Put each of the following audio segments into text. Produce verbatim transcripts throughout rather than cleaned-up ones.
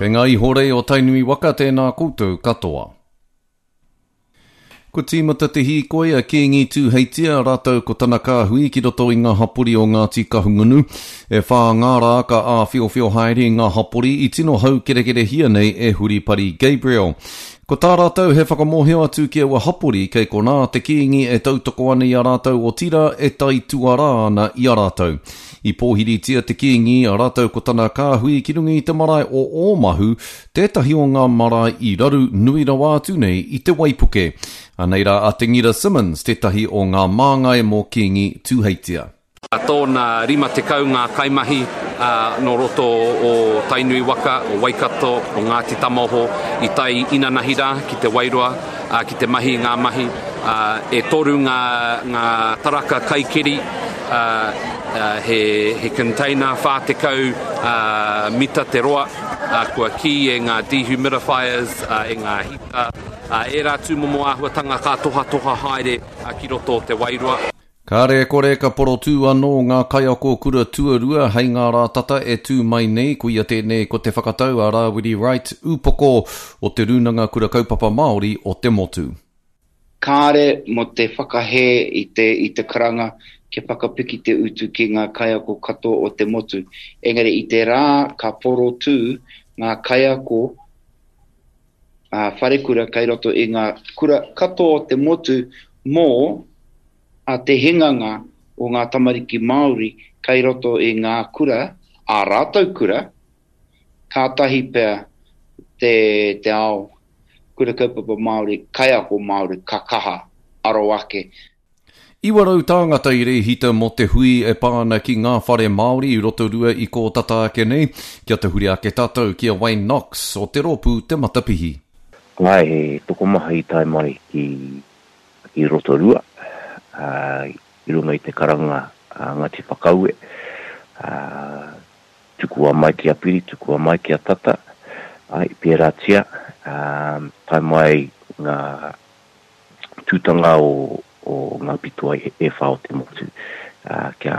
Kei ngā ihorei o Tainui waka tēnā koutou katoa. Kua tīmata te hīkoi a Kīngi Tūheitia rātou ko tana kāhui ki roto i ngā hapori o Ngāti Kahungunu. E whā ngā rā ka āwhiowhio haere i ngā hapori i tino haukerekerehia nei e Huripari Gabriel. Ko tā rātou he whakamōhio atu ki aua hapori kei konā te Kīngi e tautoko ana i a rātou otirā e taituarā ana i a rātou. I pōhiritia te Kīngi a rātou ko tana kāhui ki runga i te marae o Ōmahu, tētahi o ngā marae i raru nui rawa atu nei i te waipuke. Anei rā a Te Ngira Simmons, tētahi o ngā māngai mō Kīngi Tūheitia. Tōna rima tekau ngā kaimahi nō roto o Tainui waka, o Waikato, o Ngāti Tamaoho i tae inanahi rā ki Te Wairoa ki te mahi i ngā mahi. E toru ngā, ngā taraka kaikeri, he, he container whā tekau mita te roa, kua kī e ngā dehumidifiers, e ngā hita, ērā tūmomo āhuatanga ka tohatoha haere ki roto o Te Wairoa. Kāre e kore ka porotū anō ngā kaiako kura tuarua hei ngā rā tata e tū mai nei, koia tēnei ko te whakatau a Rāwiri Wright, upoko o Te Rūnanga Kura Kaupapa Māori o te motu. Kāre mō te whakahē i te, i te karanga kia whakapiki te utu ki ngā kaiako katoa o te motu. Engari i te rā ka porotū ngā kaiako ā, wharekura kei roto i ngā kura katoa o te motu mō a te hinganga o ngā tamariki Māori kei roto i ngā kura, ā rātou kura, kātahi pea te, te ao kura kaupapa Māori, kaiako Māori ka kaha aro ake. Iwa rau tāngata i rēhita mō te hui e pā ana ki ngā whare Māori i Rotorua i kō tata ake nei, kia tahuri ake tātou ki a Wayne Knox o te rōpū Te Matapihi. Āe, he tokomaha i tae mai ki, ki Rotorua, ā, i runga i te karanga a Ngāti Whakaue, ā, tukua mai ki a Piri, tukua mai ki a Tata, āe, pērātia, ā, tae mai ngā tūtanga o, o ngā pito e whā o te motu, ā, kia,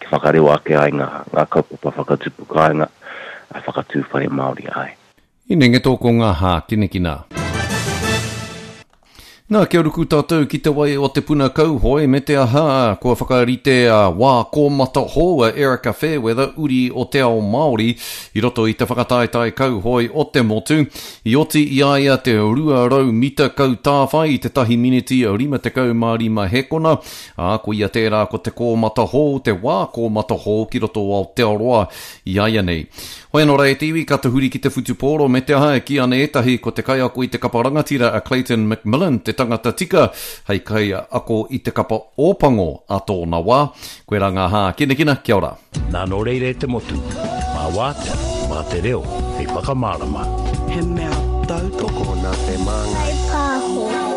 kia whakarewa ake ai ngā, ngā kaupapa whakatupu kāinga, ā, whakatū whare Māori ai. Inengeto ko ngā hākinakina. Nā, kia ruku tātou ki te wai o te puna kauhoe me te aha, kua whakarite a wā kōmata hou a Erika Fairweather, uri o te ao Māori, i roto i te whakataetae kauhoe o te motu. I oti i a ia te rua rau mita kautāwhai i te tahi miniti rima tekau mā rima hekona, ā, ko ia tērā ko te kōmata hou, te wā kōmata hou ki roto o Aotearoa i a ia nei. Hoi anō rā e te iwi, ka tahuri ki te whutupōro me te aha e kī ana ētahi ko te kaiako i te kapa rangatira a Clayton McMillan te tangata tika hei kaiako i te kapa Ōpango a tōna wā. Koe rā ngā hākinakina, kia ora. Nā nō reira e te motu, mā wātea, mā te reo, hei whakamārama. He mea tautoko nā te māngai. Pāho.